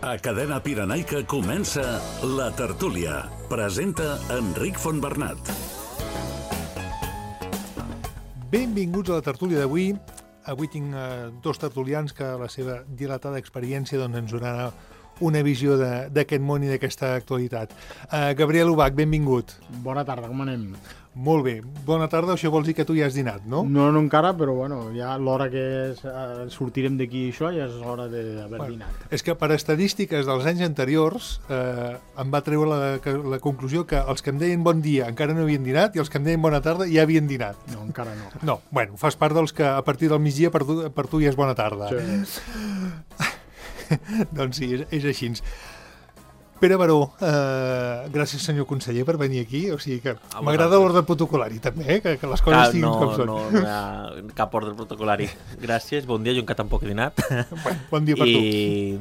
A Cadena Pirenaica comença La Tertúlia. Presenta Enric Fontbernat. Benvinguts a La Tertúlia d'avui. Avui tinc dos tertulians que la seva dilatada experiència ens donarà una visió d'aquest món i d'aquesta actualitat. Gabriel Ubach, benvingut. Bona tarda, com anem? Molt bé. Bona tarda, això vol dir que tu ja has dinat, no? No encara, però bueno, ja l'hora que sortirem d'aquí això ja és l'hora d'haver dinat. És que per estadístiques dels anys anteriors em va treure la conclusió que els que em deien bon dia encara no havien dinat i els que em deien bona tarda ja havien dinat. No, encara no. No, bueno, fas part dels que a partir del migdia per tu ja és bona tarda. Sí. Doncs sí, és així. Pere Baró, gràcies senyor conseller per venir aquí, o sigui que m'agrada l'ordre protocolari també, que les coses estiguin com són. No hi ha cap ordre protocolari. Gràcies, bon dia, jo encara tampoc he dinat. Bon dia per tu. I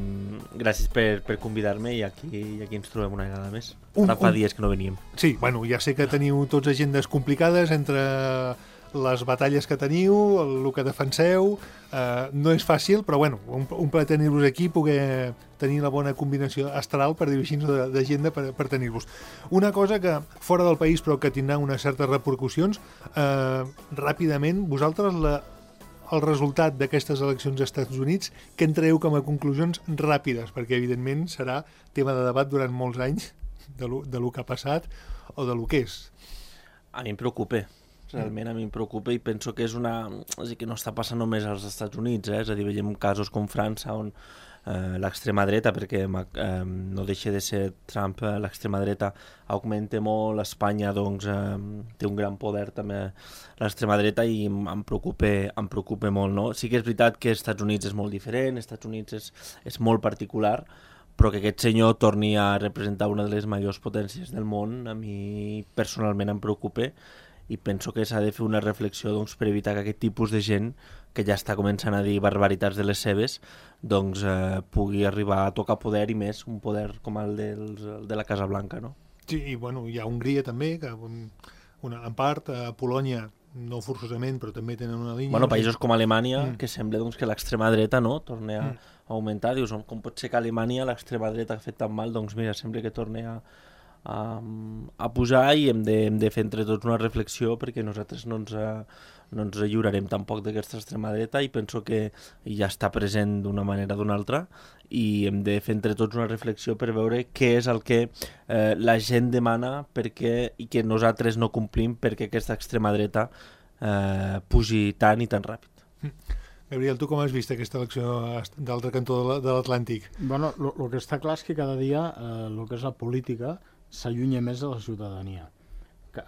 gràcies per convidar-me i aquí ens trobem una vegada més. Ara fa dies que no veníem. Sí, bueno, ja sé que teniu tots agendes complicades entre les batalles que teniu, el que defenseu, no és fàcil, però bueno, un plaer tenir-vos aquí, poder tenir la bona combinació astral, per dir-ho així, d'agenda per tenir-vos. Una cosa que, fora del país, però que tindrà unes certes repercussions, ràpidament, vosaltres el resultat d'aquestes eleccions als Estats Units, que en traieu com a conclusions ràpides, perquè evidentment serà tema de debat durant molts anys de lo que ha passat o de lo que és. A mi em preocupa. Realment a mi em preocupa i penso que és que no està passant només als Estats Units, és a dir, veiem casos com França on l'extrema dreta, perquè no deixa de ser Trump, l'extrema dreta augmenta molt, Espanya doncs té un gran poder també l'extrema dreta i em preocupa molt, no? Sí que és veritat que als Estats Units és molt diferent, als Estats Units és molt particular, però que aquest senyor torni a representar una de les majors potències del món, a mi personalment em preocupa i penso que s'ha de fer una reflexió doncs, per evitar que aquest tipus de gent que ja està començant a dir barbaritats de les seves doncs pugui arribar a tocar poder i més un poder com el de la Casa Blanca, no? Sí, i bueno, hi ha Hongria també, que en part, Polònia no forçosament, però també tenen una línia... Bueno, països com Alemanya, que sembla doncs, que l'extrema dreta no torna a augmentar. Dius, com pot ser que a Alemanya l'extrema dreta ha fet tan mal? Doncs mira, sembla que torna a pujar i hem de fer entre tots una reflexió perquè nosaltres no ens lliurarem tampoc d'aquesta extrema dreta i penso que ja està present d'una manera o d'una altra i hem de fer entre tots una reflexió per veure què és el que la gent demana i que nosaltres no complim perquè aquesta extrema dreta pugi tant i tan ràpid. Gabriel, tu com has vist aquesta elecció d'altre cantó de l'Atlàntic? Bueno, el que està clar és que cada dia el que és la política s'allunya més de la ciutadania.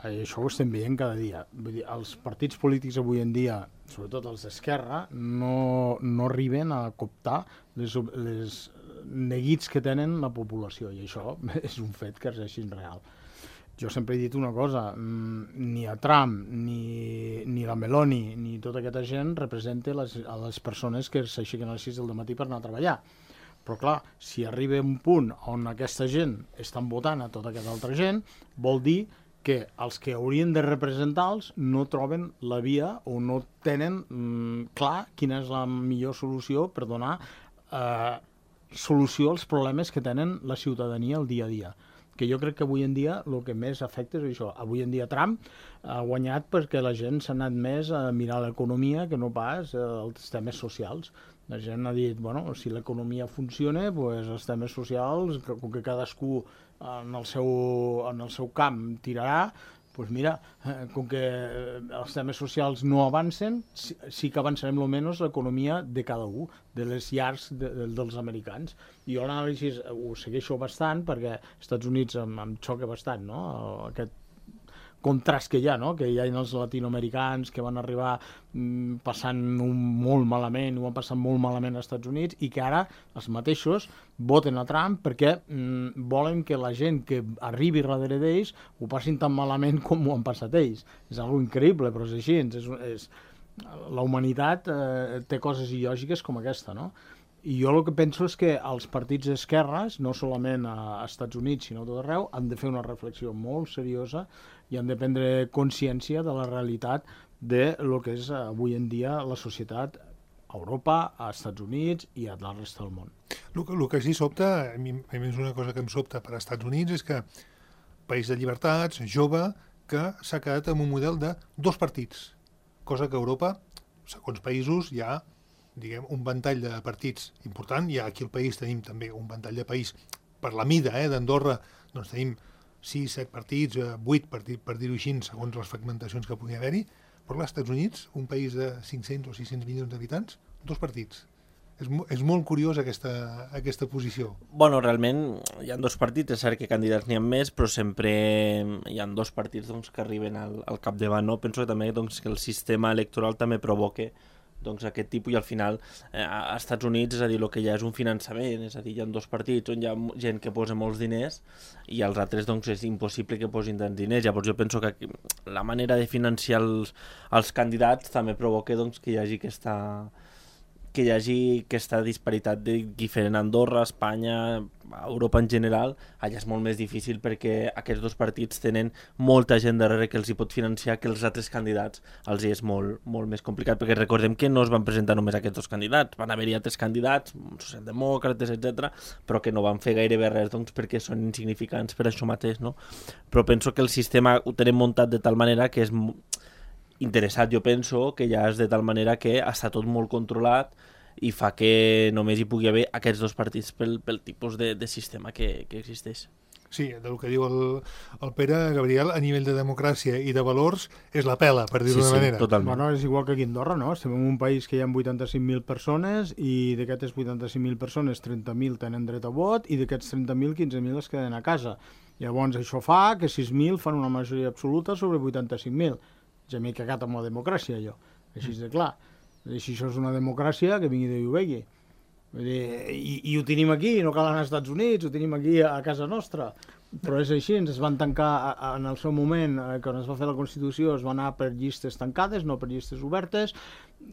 Això ho estem veient cada dia. Vull dir, els partits polítics avui en dia, sobretot els d'esquerra, no arriben a cooptar les neguits que tenen la població, i això és un fet que és així real. Jo sempre he dit una cosa, ni a Trump, ni la Meloni, ni tota aquesta gent representa a les persones que s'aixequen a les 6 del matí per anar a treballar. Però clar, si arriba un punt on aquesta gent estan votant a tota aquesta altra gent, vol dir que els que haurien de representar-los no troben la via o no tenen clar quina és la millor solució per donar solució als problemes que tenen la ciutadania el dia a dia. Que jo crec que avui en dia el que més afecta és això. Avui en dia Trump ha guanyat perquè la gent s'ha anat més a mirar l'economia que no pas els temes socials. La gent ha dit, bueno, si l'economia funciona, doncs els temes socials, com que cadascú en el seu camp tirarà, doncs mira, com que els temes socials no avancen, sí que avançarem almenys l'economia de cada un, de les llars dels americans. I jo l'anàlisi ho segueixo bastant perquè als Estats Units em xoca bastant, no?, aquest contrast que hi ha, no?, que hi ha els latinoamericans que van arribar passant molt malament, ho han passat molt malament als Estats Units i que ara els mateixos voten a Trump perquè volen que la gent que arribi darrere d'ells ho passin tan malament com ho han passat ells. És algo increïble, però és així. La humanitat té coses il·lògiques com aquesta, no? I jo el que penso és que els partits d'esquerres, no solament als Estats Units, sinó a tot arreu, han de fer una reflexió molt seriosa i han de prendre consciència de la realitat de lo que és avui en dia la societat a Europa, a Estats Units i a la resta del món. El que sí sobta, a mi és una cosa que em sobta per als Estats Units, és que país de llibertats, jove, que s'ha quedat amb un model de 2 partits, cosa que a Europa, segons països, hi ha un ventall de partits important. I aquí al país tenim també un ventall de país per la mida d'Andorra, doncs tenim 6, 7 partits, 8 partits, per dir-ho així, segons les fragmentacions que pugui haver-hi. Però als Estats Units, un país de 500 o 600 milions d'habitants, 2 partits. És molt curiós aquesta posició. Bueno, realment hi ha 2 partits, és cert que candidats n'hi ha més, però sempre hi ha 2 partits doncs, que arriben al capdavant. No? Penso que també doncs, que el sistema electoral també provoca doncs, aquest tipus, i al final als Estats Units, és a dir, el que hi ha és un finançament, és a dir, hi ha 2 partits on hi ha gent que posa molts diners i els altres doncs, és impossible que posin tants diners. Llavors jo penso que la manera de financiar els candidats també provoca doncs, que hi hagi aquesta disparitat diferent a Andorra, Espanya, Europa en general. Allà és molt més difícil perquè aquests 2 partits tenen molta gent darrere que els hi pot financiar, que els altres candidats els hi és molt, molt més complicat, perquè recordem que no es van presentar només aquests 2 candidats, van haver-hi altres candidats, socialdemòcrates, etc, però que no van fer gairebé res doncs, perquè són insignificants per això mateix, no? Però penso que el sistema ho tenim muntat de tal manera que és interessat, jo penso, que ja és de tal manera que està tot molt controlat i fa que només hi pugui haver aquests 2 partits pel tipus de sistema que existeix. Sí, del que diu el Pere, Gabriel, a nivell de democràcia i de valors és la pela, per dir-ho d'una manera. Totalment. Bueno, és igual que aquí a Andorra, no? Estem en un país que hi ha 85.000 persones i d'aquestes 85.000 persones 30.000 tenen dret a vot i d'aquests 30.000 15.000 es queden a casa. Llavors això fa que 6.000 fan una majoria absoluta sobre 85.000. Ja m'he cagat amb la democràcia, jo. Així de clar. Si això és una democràcia, que vingui Déu i ho vegi. I ho tenim aquí, no cal anar als Estats Units, ho tenim aquí a casa nostra. Però és així, ens van tancar en el seu moment, quan es va fer la Constitució, es va anar per llistes tancades, no per llistes obertes,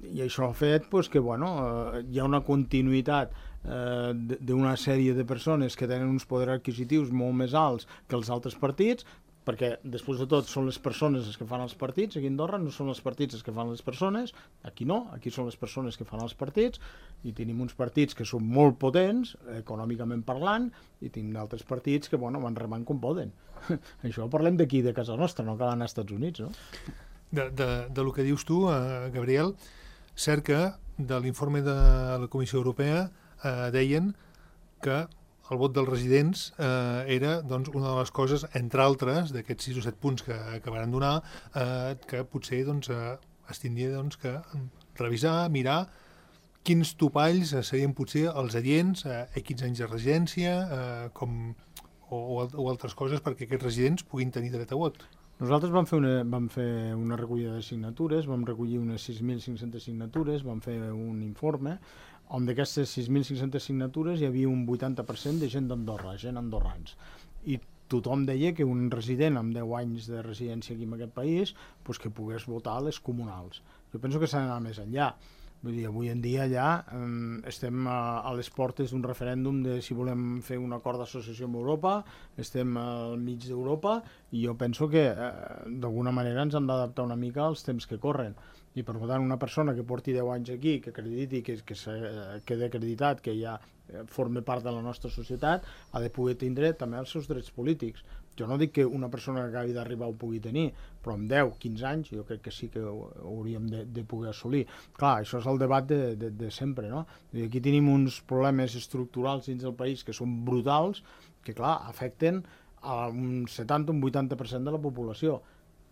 i això ha fet que hi ha una continuïtat d'una sèrie de persones que tenen uns poders adquisitius molt més alts que els altres partits, perquè després de tot són les persones les que fan els partits. Aquí a Andorra no són els partits els que fan les persones, aquí no, aquí són les persones que fan els partits, i tenim uns partits que són molt potents, econòmicament parlant, i tenim d'altres partits que van remant com poden. Això parlem d'aquí, de casa nostra, no cal anar als Estats Units, no? De lo que dius tu, Gabriel, cert que de l'informe de la Comissió Europea deien que el vot dels residents era doncs, una de les coses, entre altres, d'aquests 6 o 7 punts que van donar, que potser es tindria que revisar, mirar quins topalls serien potser els adients, quins anys de residència o altres coses perquè aquests residents puguin tenir dret a vot. Nosaltres vam fer una recollida de signatures, vam recollir unes 6.500 signatures, vam fer un informe on d'aquestes 6.500 signatures hi havia un 80% de gent d'Andorra, gent andorrans. I tothom deia que un resident amb 10 anys de residència aquí en aquest país que pogués votar a les comunals. Jo penso que s'ha d'anar més enllà. Vull dir, avui en dia ja estem a les portes d'un referèndum de si volem fer un acord d'associació amb Europa, estem al mig d'Europa i jo penso que d'alguna manera ens hem d'adaptar una mica als temps que corren. I per tant una persona que porti 10 anys aquí, que acrediti, que quedi acreditat, que ja forma part de la nostra societat, ha de poder tindre també els seus drets polítics. Jo no dic que una persona que acabi d'arribar ho pugui tenir, però amb 10, 15 anys jo crec que sí que ho hauríem de poder assolir. Clar, això és el debat de sempre, no? Aquí tenim uns problemes estructurals dins del país que són brutals, que clar, afecten a un 70 o un 80% de la població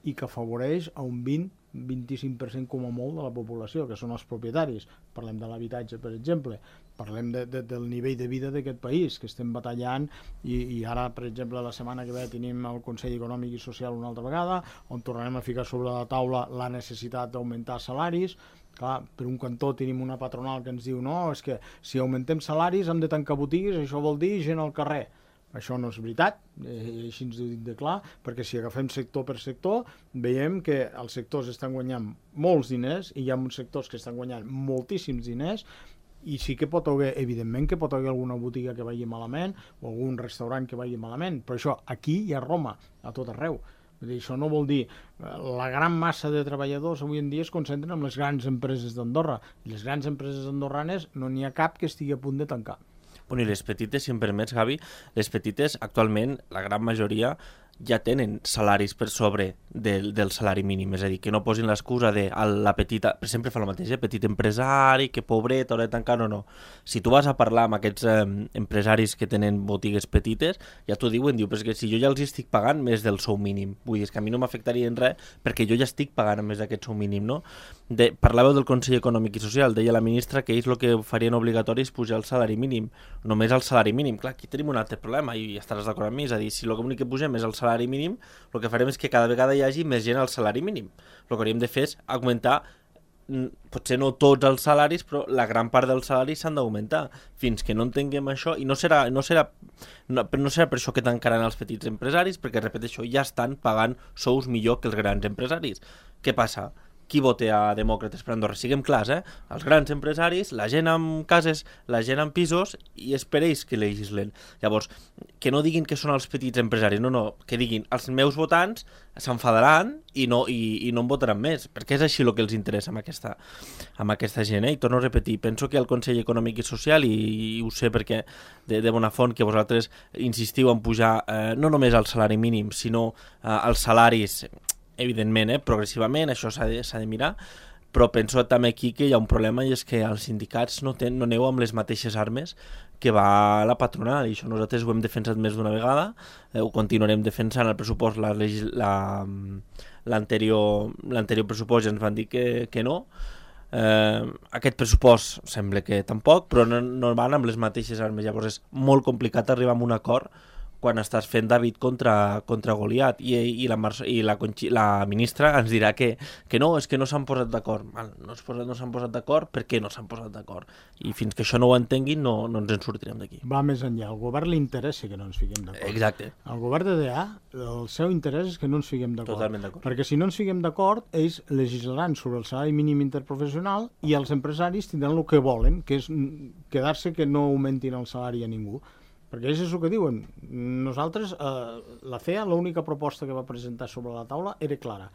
i que afavoreix a un 20-25% com a molt de la població, que són els propietaris. Parlem de l'habitatge, per exemple. Parlem del nivell de vida d'aquest país, que estem batallant, i ara, per exemple, la setmana que ve tenim el Consell Econòmic i Social una altra vegada, on tornarem a ficar sobre la taula la necessitat d'augmentar salaris. Clar, per un cantó tenim una patronal que ens diu no, és que si augmentem salaris hem de tancar botigues, això vol dir gent al carrer. Això no és veritat, així ens ho dic de clar, perquè si agafem sector per sector, veiem que els sectors estan guanyant molts diners i hi ha uns sectors que estan guanyant moltíssims diners, i sí que pot haver, evidentment que pot haver alguna botiga que vagi malament o algun restaurant que vagi malament, però això aquí i a Roma, a tot arreu. Vull dir, això no vol dir... La gran massa de treballadors avui en dia es concentren en les grans empreses d'Andorra. I les grans empreses andorranes no n'hi ha cap que estigui a punt de tancar. Bueno, i les petites, si em permets, Gavi, les petites, actualment, la gran majoria ja tenen salaris per sobre del salari mínim, és a dir, que no posin l'excusa de la petita, sempre fa el mateix, petit empresari, que pobret, haurà de tancar, no. Si tu vas a parlar amb aquests empresaris que tenen botigues petites, ja t'ho diuen, diu, però és que si jo ja els estic pagant més del sou mínim, vull dir, és que a mi no m'afectaria en res perquè jo ja estic pagant més d'aquest sou mínim, no? Parlàveu del Consell Econòmic i Social, deia la ministra que ells el que farien obligatori és pujar el salari mínim, només el salari mínim. Clar, aquí tenim un altre problema i estaràs d'acord amb mi, és a dir, si l'únic que pugem és el salari mínim, el que farem és que cada vegada hi hagi més gent al salari mínim. El que hauríem de fer és augmentar, potser no tots els salaris, però la gran part dels salaris s'han d'augmentar. Fins que no entenguem això, i no serà per això que tancaran els petits empresaris, perquè, repeteixo, ja estan pagant sous millor que els grans empresaris. Què passa? Qui vota a Demòcrates per Andorra? Siguem clars, els grans empresaris, la gent amb cases, la gent amb pisos, i és per ells que legislen. Llavors, que no diguin que són els petits empresaris, no, que diguin els meus votants s'enfadaran i no em votaran més, perquè és així el que els interessa amb aquesta gent. I torno a repetir, penso que el Consell Econòmic i Social, i ho sé perquè de bona font que vosaltres insistiu en pujar no només el salari mínim, sinó els salaris, evidentment, progressivament, això s'ha de mirar, però penso també aquí que hi ha un problema, i és que els sindicats no aneu amb les mateixes armes que va la patronal, i això nosaltres ho hem defensat més d'una vegada, ho continuarem defensant. El pressupost, l'anterior pressupost ja ens van dir que no, aquest pressupost sembla que tampoc, però no van amb les mateixes armes. Llavors és molt complicat arribar a un acord quan estàs fent David contra Goliat, i la ministra ens dirà que no, és que no s'han posat d'acord. No s'han posat d'acord, per què no s'han posat d'acord? I fins que això no ho entenguin no ens en sortirem d'aquí. Va més enllà, al govern li interessa que no ens fiquem d'acord. Exacte. Al govern de DA, el seu interès és que no ens fiquem d'acord. Totalment d'acord. Perquè si no ens fiquem d'acord, ells legislaran sobre el salari mínim interprofessional i els empresaris tindran el que volen, que és quedar-se que no augmentin el salari a ningú. Perquè és el que diuen. Nosaltres, la CEA, l'única proposta que va presentar sobre la taula era clara,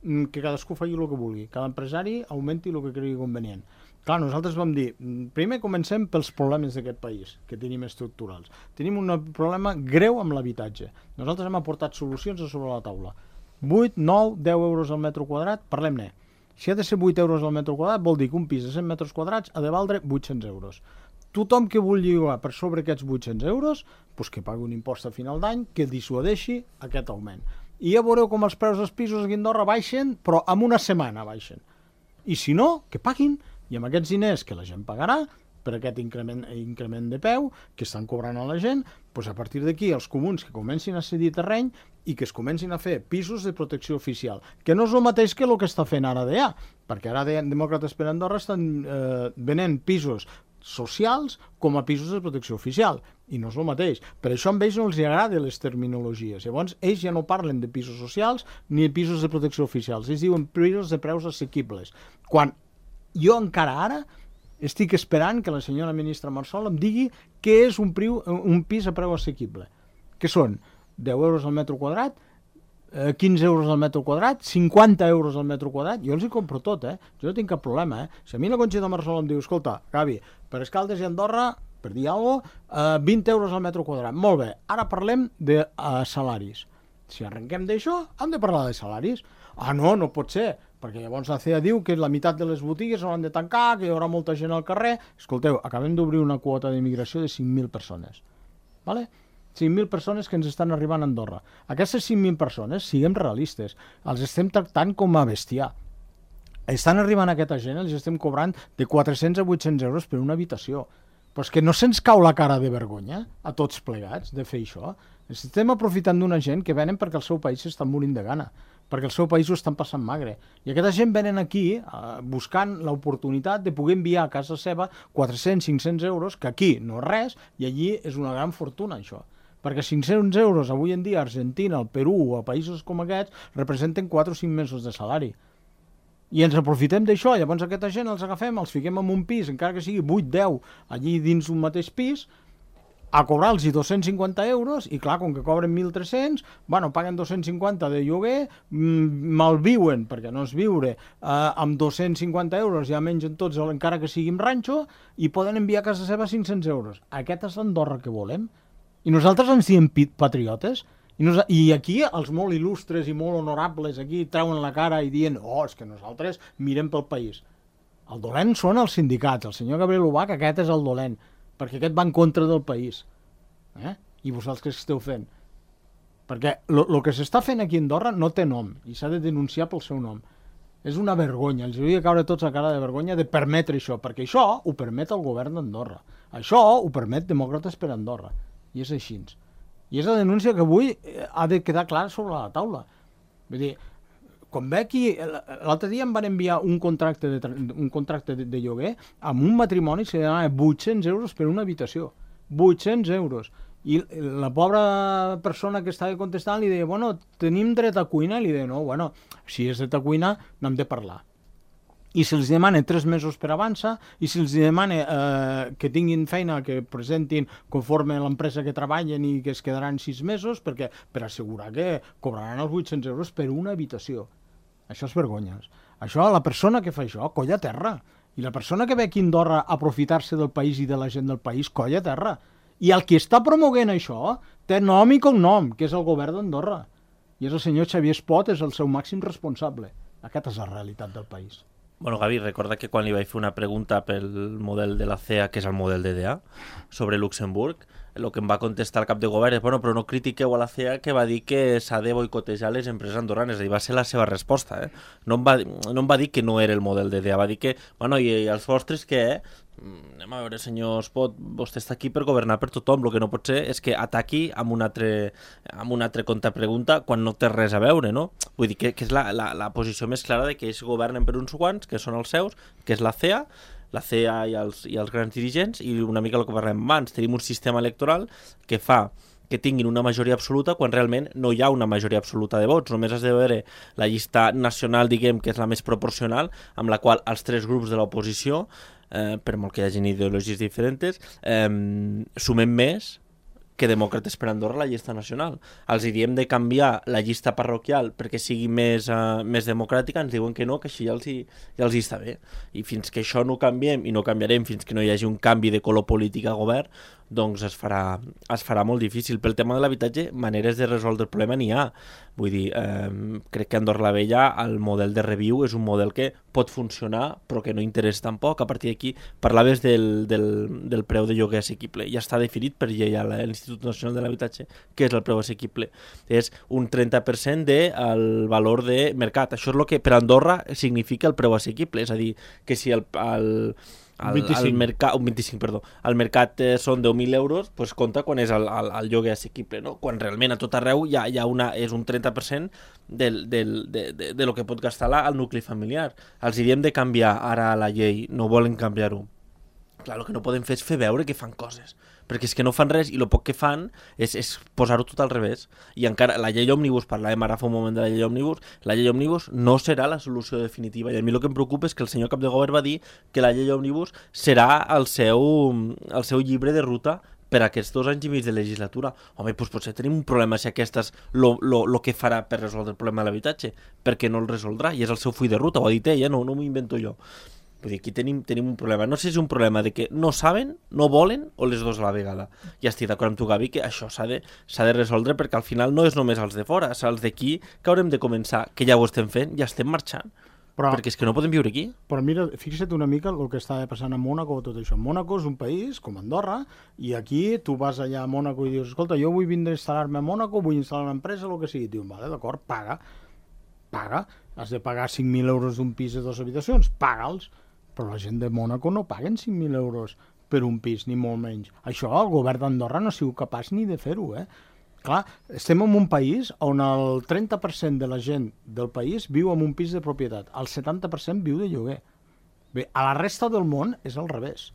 que cadascú faci el que vulgui, cada empresari augmenti el que cregui convenient. Clar, nosaltres vam dir, primer comencem pels problemes d'aquest país, que tenim estructurals. Tenim un problema greu amb l'habitatge. Nosaltres hem aportat solucions a sobre la taula. 8, 9, 10 euros al metre quadrat, parlem-ne. Si ha de ser 8 euros al metre quadrat, vol dir que un pis de 100 metres quadrats ha de valdre 800 euros. Tothom que vulgui llogar per sobre aquests 800 euros, doncs que pagui un impost a final d'any que dissuadeixi aquest augment. I ja veureu com els preus dels pisos aquí a Andorra baixen, però en una setmana baixen. I si no, que paguin, i amb aquests diners que la gent pagarà, per aquest increment de peu que estan cobrant a la gent, doncs a partir d'aquí els comuns que comencin a cedir terreny i que es comencin a fer pisos de protecció oficial, que no és el mateix que el que està fent ara DA, perquè ara Demòcrates per Andorra estan venent pisos socials com a pisos de protecció oficial, i no és el mateix. Per això a ells no els agraden les terminologies. Llavors, ells ja no parlen de pisos socials ni de pisos de protecció oficials. Ells diuen pisos de preus assequibles. Quan jo encara ara estic esperant que la senyora ministra Marsol em digui què és un pis a preu assequible. Que són 10 euros al metre quadrat, 15 euros al metre quadrat, 50 euros al metre quadrat, jo els hi compro tot, jo no tinc cap problema, Si a mi la Conxita Marsol em diu, escolta, Gavi, per Escaldes i Andorra, per dir alguna cosa, 20 euros al metre quadrat, molt bé, ara parlem de salaris. Si arrenquem d'això, hem de parlar de salaris. No pot ser, perquè llavors la CEA diu que la meitat de les botigues hauran de tancar, que hi haurà molta gent al carrer. Escolteu, acabem d'obrir una quota d'immigració de 5.000 persones, vale? 5.000 persones que ens estan arribant a Andorra. Aquestes 5.000 persones, siguem realistes, els estem tractant com a bestiar. Estan arribant aquesta gent, els estem cobrant de 400 a 800 euros per una habitació. Però és que no se'ns cau la cara de vergonya, a tots plegats, de fer això. Estem aprofitant d'una gent que venen perquè el seu país s'està morint de gana, perquè el seu país ho estan passant magre. I aquesta gent venen aquí buscant l'oportunitat de poder enviar a casa seva 400-500 euros, que aquí no és res, i allí és una gran fortuna, això. Perquè 500 euros avui en dia a Argentina, al Perú o a països com aquests representen 4 o 5 mesos de salari. I ens aprofitem d'això, llavors aquesta gent els agafem, els fiquem en un pis, encara que sigui 8-10 allí dins un mateix pis, a cobrar-los 250 euros, i clar, com que cobren 1.300, bueno, paguen 250 de lloguer, malviuen, perquè no és viure, amb 250 euros ja mengen tots, encara que sigui en ranxo, i poden enviar a casa seva 500 euros. Aquesta és l'Andorra que volem. I nosaltres ens diem patriotes, i aquí els molt il·lustres i molt honorables aquí treuen la cara i diuen és que nosaltres mirem pel país. El dolent són els sindicats, el senyor Gabriel Ubach, aquest és el dolent, perquè aquest va en contra del país. I vosaltres què esteu fent? Perquè el que s'està fent aquí a Andorra no té nom i s'ha de denunciar pel seu nom. És una vergonya, els hauria de caure tots a cara de vergonya de permetre això, perquè això ho permet el govern d'Andorra. Això ho permet Demòcrates per Andorra. I és així. I és la denúncia que avui ha de quedar clara sobre la taula. Vull dir, quan ve aquí, l'altre dia em van enviar un contracte de lloguer amb un matrimoni que demanava 800 euros per una habitació. 800 euros. I la pobra persona que estava contestant li deia, bueno, tenim dret a cuina? I li deia, no, bueno, si és dret a cuina n'hem de parlar. I si els demana 3 mesos per avançar, i si els demana que tinguin feina, que presentin conforme l'empresa que treballen i que es quedaran 6 mesos, perquè per assegurar que cobraran els 800 euros per una habitació. Això és vergonya. Això, la persona que fa això, colla terra. I la persona que ve aquí a Andorra a aprofitar-se del país i de la gent del país, colla terra. I el que està promoguent això té nom i cognom, que és el govern d'Andorra. I és el senyor Xavier Espot, és el seu màxim responsable. Aquesta és la realitat del país. Bueno, Gavi, recorda que quan li vaig fer una pregunta pel model de la CEA, que és el model DDA, sobre Luxemburg, el que em va contestar el cap de govern és, bueno, però no critiqueu a la CEA, que va dir que s'ha de boicotejar les empreses andorranes. És a dir, va ser la seva resposta. No em va dir que no era el model DDA, va dir que, bueno, i els vostres què? Anem a veure, senyor Espot, vostè està aquí per governar per tothom. El que no pot ser és que ataqui amb una altra contrapregunta quan no té res a veure, no? Vull dir que és la posició més clara de que ells governen per uns quants, que són els seus, que és la CEA i els grans dirigents, i una mica el que parlem abans. Tenim un sistema electoral que fa que tinguin una majoria absoluta quan realment no hi ha una majoria absoluta de vots. Només has de veure la llista nacional, diguem, que és la més proporcional, amb la qual els 3 grups de l'oposició, per molt que hi hagi ideologies diferents, sumem més que Demòcrates per Andorra la llista nacional. Els diem de canviar la llista parroquial perquè sigui més democràtica, ens diuen que no, que així ja els està bé. I fins que això no canviem, i no canviarem fins que no hi hagi un canvi de color polític a govern, doncs es farà molt difícil. Pel tema de l'habitatge, maneres de resoldre el problema n'hi ha. Vull dir, crec que a Andorra la Vella el model de Reviu és un model que pot funcionar, però que no interessa tampoc. A partir d'aquí, parlaves del preu de lloguer assequible. Ja està definit per llei a l'Institut Nacional de l'Habitatge què és el preu assequible. És un 30% del valor de mercat. Això és el que per Andorra significa el preu assequible. És a dir, que si el mercat són 10.000 euros, doncs compta quan és el lloguer assequible, no? Quan realment a tot arreu és un 30% de lo que pot gastar el nucli familiar. Els diem de canviar ara la llei, no volen canviar-ho. Clar, el que no podem fer és fer veure que fan coses, perquè és que no fan res i el poc que fan és posar-ho tot al revés. I encara la llei òmnibus, parlàvem ara fa un moment de la llei òmnibus no serà la solució definitiva, i a mi el que em preocupa és que el senyor cap de govern va dir que la llei òmnibus serà el seu llibre de ruta per aquests 2 anys i mig de legislatura. Home, doncs potser tenim un problema si aquest és el que farà per resoldre el problema de l'habitatge, perquè no el resoldrà, i és el seu full de ruta, ho ha dit ella, no m'ho invento jo. Vull dir, aquí tenim un problema. No sé si és un problema de que no saben, no volen, o les dues a la vegada. Ja estic d'acord amb tu, Gavi, que això s'ha de resoldre, perquè al final no és només els de fora, és els d'aquí que haurem de començar, que ja ho estem fent, ja estem marxant. Perquè és que no podem viure aquí. Però mira, fixa't una mica el que està passant a Mònaco o tot això. Mònaco és un país com Andorra, i aquí tu vas allà a Mònaco i dius, escolta, jo vull vindre a instal·lar-me a Mònaco, vull instal·lar una empresa, el que sigui. Diu, vale, d'acord, paga. Has de pagar 5.000 euros d'un pis de 2 habitacions, paga'ls. Però la gent de Mònaco no paguen 5.000 euros per un pis, ni molt menys. Això el govern d'Andorra no ha sigut capaç ni de fer-ho, Clar, estem en un país on el 30% de la gent del país viu en un pis de propietat, el 70% viu de lloguer. Bé, a la resta del món és al revés.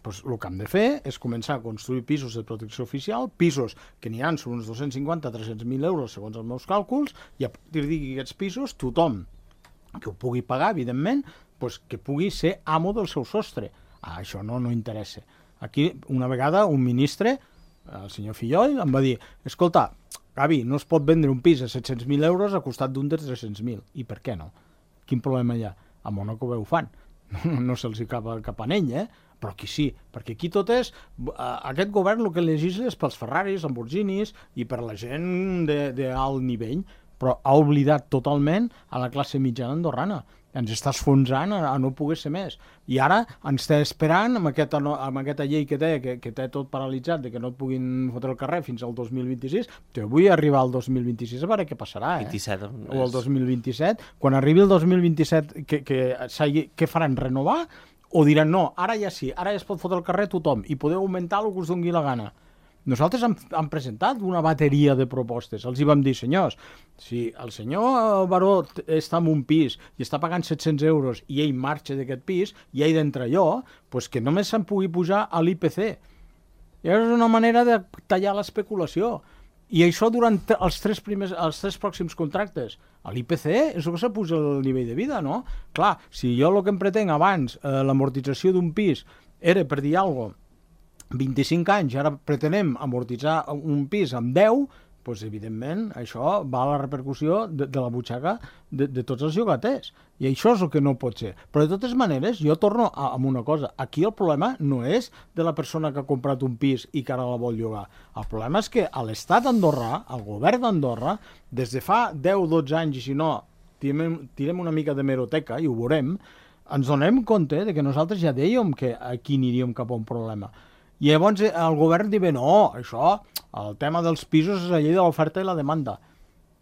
Pues el que hem de fer és començar a construir pisos de protecció oficial, pisos que n'hi ha sobre uns 250-300.000 euros segons els meus càlculs, i a partir d'aquests pisos tothom que ho pugui pagar, evidentment, pues que pugui ser amo del seu sostre. Això no interessa. Aquí, una vegada, un ministre el senyor Fillol em va dir, escolta, Gavi, no es pot vendre un pis a 700.000 euros a costat d'un de 300.000. I per què no? Quin problema hi ha? A Mónaco ho fan. No se'ls cap a ell, però aquí sí, perquè aquí tot és... Aquest govern el que legisla és pels Ferraris, Lamborghinis i per la gent d'alt nivell, però ha oblidat totalment a la classe mitjana andorrana. Ens està esfonsant a no poder ser més. I ara ens està esperant amb aquesta llei que té tot paralitzat, de que no et puguin fotre al carrer fins al 2026. Jo vull arribar al 2026 a veure què passarà. 27. O el 2027. Quan arribi el 2027, què faran? Renovar? O diran, no, ara ja sí, ara ja es pot fotre al carrer tothom i podeu augmentar el que us doni la gana. Nosaltres hem presentat una bateria de propostes. Els hi vam dir, senyors, si el senyor Baró està en un pis i està pagant 700 euros i ell marxa d'aquest pis i ell d'entrar jo, doncs que només se'n pugui pujar a l'IPC. I és una manera de tallar l'especulació. I això durant els tres pròxims contractes. A l'IPC és el que s'apuja el nivell de vida, no? Clar, si jo el que em pretenc abans, l'amortització d'un pis, era, per dir alguna cosa, 25 anys, ara pretenem amortitzar un pis amb 10, doncs evidentment això va a la repercussió de la butxaca de tots els llogaters. I això és el que no pot ser. Però de totes maneres, jo torno amb una cosa. Aquí el problema no és de la persona que ha comprat un pis i que ara la vol llogar. El problema és que a l'Estat d'Andorra, al govern d'Andorra, des de fa 10-12 anys, i si no, tirem una mica de meroteca i ho veurem, ens donem compte de que nosaltres ja dèiem que aquí aniríem cap a un problema. I llavors el govern diu, no, això, el tema dels pisos és la llei de l'oferta i la demanda,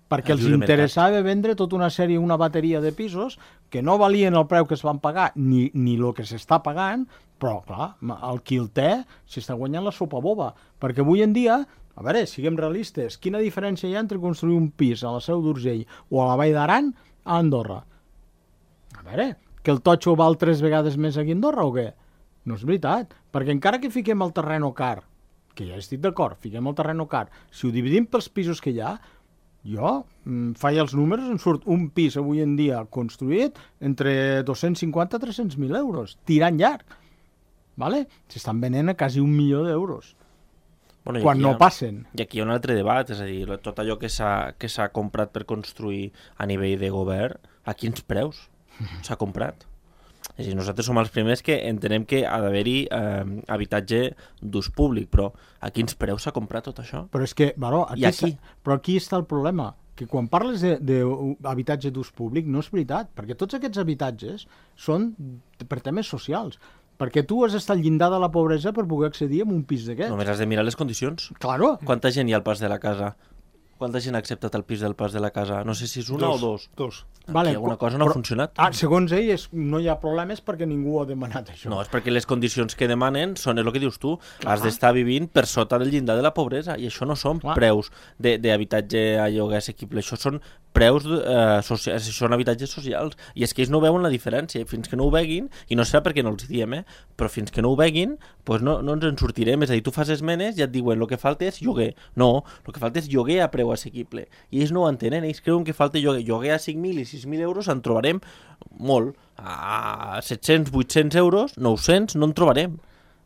perquè els interessava vendre tota una sèrie, una bateria de pisos que no valien el preu que es van pagar ni el que s'està pagant, però, clar, el qui el té s'està guanyant la sopa boba, perquè avui en dia, a veure, siguem realistes, quina diferència hi ha entre construir un pis a la Seu d'Urgell o a la Vall d'Aran a Andorra? A veure, que el totxo val 3 vegades més aquí a Andorra o què? No és veritat, perquè encara que fiquem el terreno car, que ja estic d'acord, fiquem el terreno car, si ho dividim pels pisos que hi ha, jo faig els números, em surt un pis avui en dia construït entre 250 i 300.000 euros, tirant llarg, ¿vale? S'estan venent a quasi 1 milió d'euros, quan no passen. I aquí hi ha un altre debat, és a dir, tot allò que s'ha comprat per construir a nivell de govern, a quins preus s'ha comprat? És a dir, nosaltres som els primers que entenem que ha d'haver-hi habitatge d'ús públic, però a quins preus s'ha comprat tot això? Però és que, Baró, aquí està el problema, que quan parles d'habitatge d'ús públic no és veritat, perquè tots aquests habitatges són per temes socials, perquè tu has estat al llindar de la pobresa per poder accedir a un pis d'aquests. Només has de mirar les condicions. Claro. Quanta gent hi ha al Pas de la Casa? Quanta gent ha acceptat el pis del Pas de la Casa? No sé si és una o dos. Dos. Vale, alguna cosa no ha funcionat. Segons ell no hi ha problemes perquè ningú ha demanat això. No, és perquè les condicions que demanen són el que dius tu. Has d'estar vivint per sota del llindar de la pobresa i això no són preus d'habitatge a lloguer assequible. Això són preus socials, són habitatges socials. I és que ells no veuen la diferència. Fins que no ho veguin, i no serà perquè no els diem, però fins que no ho veguin, doncs no ens en sortirem. És a dir, tu fas esmenes i et diuen el que falta és lloguer. No, el que falta és lloguer a preu assequible. I ells no ho entenen, ells creuen que falta lloguer. Lloguer a 5.000 i 6.000 euros en trobarem molt. A 700, 800 euros, 900, no en trobarem.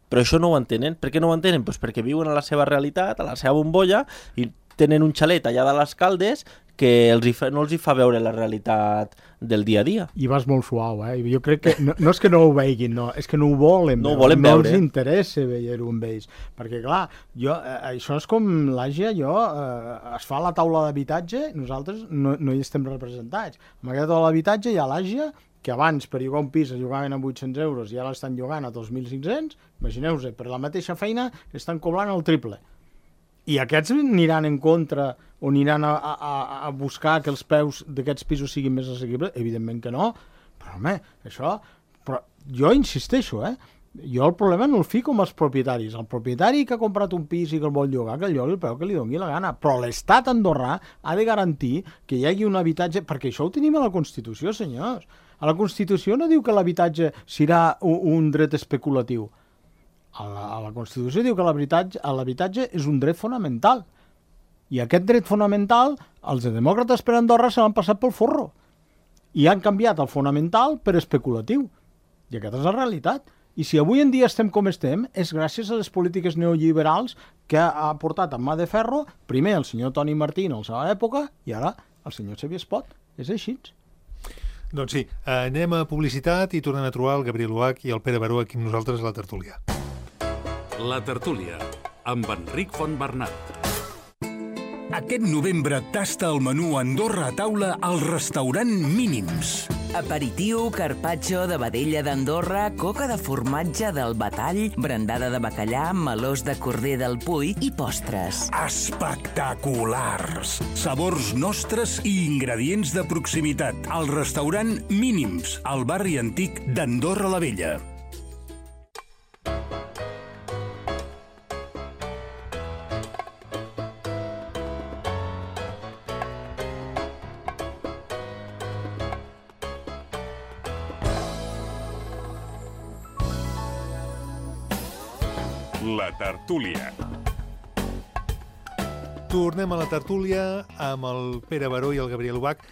Però això no ho entenen. Per què no ho entenen? Pues perquè viuen a la seva realitat, a la seva bombolla, i tenen un xalet allà de les Caldes que no els hi fa veure la realitat del dia a dia. I vas molt suau, Jo crec que no és que no ho veiguin, no, és que no ho volen veure. No els interessa veure-ho amb ells. Perquè, clar, això és com l'Àsia, es fa la taula d'habitatge, nosaltres no hi estem representats. Amb aquesta taula d'habitatge hi ha l'Àsia, que abans per llogar un pis es llogaven a 800 euros i ara l'estan llogant a 2.500, imagineu-vos, per la mateixa feina estan cobrant el triple. I aquests aniran en contra o aniran a buscar que els preus d'aquests pisos siguin més assequibles? Evidentment que no. Però, home, això... Però jo insisteixo, Jo el problema no el fico amb els propietaris. El propietari que ha comprat un pis i que el vol llogar, que el llogui el preu que li doni la gana. Però l'Estat andorrà ha de garantir que hi hagi un habitatge... Perquè això ho tenim a la Constitució, senyors. A la Constitució no diu que l'habitatge serà un dret especulatiu. A la Constitució diu que l'habitatge és un dret fonamental. I aquest dret fonamental, els demòcrates per Andorra se l'han passat pel forro. I han canviat el fonamental per especulatiu. I aquesta és la realitat. I si avui en dia estem com estem, és gràcies a les polítiques neoliberals que ha portat en mà de ferro, primer el senyor Toni Martín a la seva època i ara el senyor Xavier Espot. És així. Doncs sí, anem a publicitat i tornem a trobar el Gabriel Uach i el Pere Baró aquí amb nosaltres a la tertúlia. La tertúlia, amb Enric Fontbernat. Aquest novembre tasta el menú Andorra a taula al restaurant Mínims. Aperitiu, carpaccio de vedella d'Andorra, coca de formatge del Batall, brandada de bacallà, melós de corder del Puy i postres. Espectaculars! Sabors nostres i ingredients de proximitat. Al restaurant Mínims, al barri antic d'Andorra la Vella. La tertúlia. Tornem a la tertúlia amb el Pere Baró i el Gabriel Uach.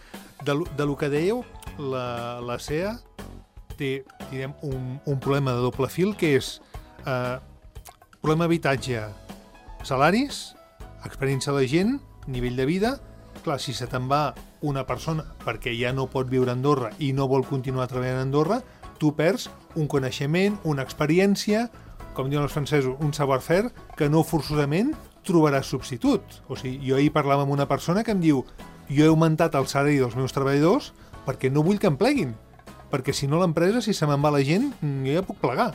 De lo que dèieu, la CEA té, direm, un problema de doble fil, que és problema habitatge, salaris, experiència de la gent, nivell de vida. Clar, si se te'n va una persona perquè ja no pot viure a Andorra i no vol continuar treballant a Andorra, tu perds un coneixement, una experiència, com diuen els francesos, un savoir-faire, que no forçosament trobaràs substitut. O sigui, jo ahir parlava amb una persona que em diu: jo he augmentat el salari dels meus treballadors perquè no vull que em pleguin, perquè si no l'empresa, si se me'n va la gent, jo ja puc plegar.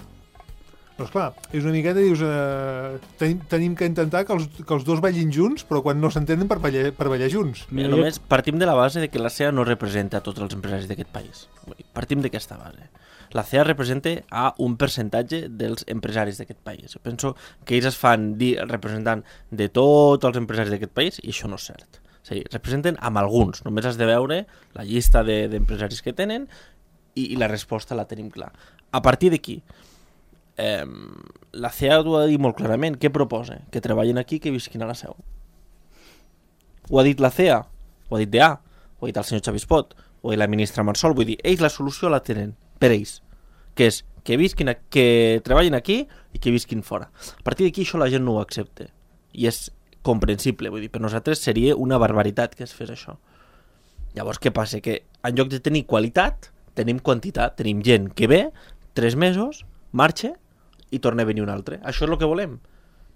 Doncs clar, és una miqueta, dius, tenim que intentar que els dos ballin junts, però quan no s'entenen per ballar junts. Mira, només partim de la base de que la CEA no representa tots els empresaris d'aquest país. Partim d'aquesta base. La CEA representa a un percentatge dels empresaris d'aquest país. Jo penso que ells es fan dir representant de tots els empresaris d'aquest país i això no és cert. O sigui, representen amb alguns. Només has de veure la llista d'empresaris que tenen i la resposta la tenim clar. A partir d'aquí, la CEA ho ha de dir molt clarament. Què proposa? Que treballin aquí, que visquin a la seu. Ho ha dit la CEA, ho ha dit DA, ho ha dit el senyor Xavier Espot, ho ha dit la ministra Marsol. Vull dir, ells la solució la tenen per ells, que és que treballin aquí i que visquin fora. A partir d'aquí això la gent no ho accepta i és comprensible, vull dir, per nosaltres seria una barbaritat que es fes això. Llavors què passa? Que en lloc de tenir qualitat tenim quantitat, tenim gent que ve 3 mesos, marxa i torna a venir un altre. Això és el que volem.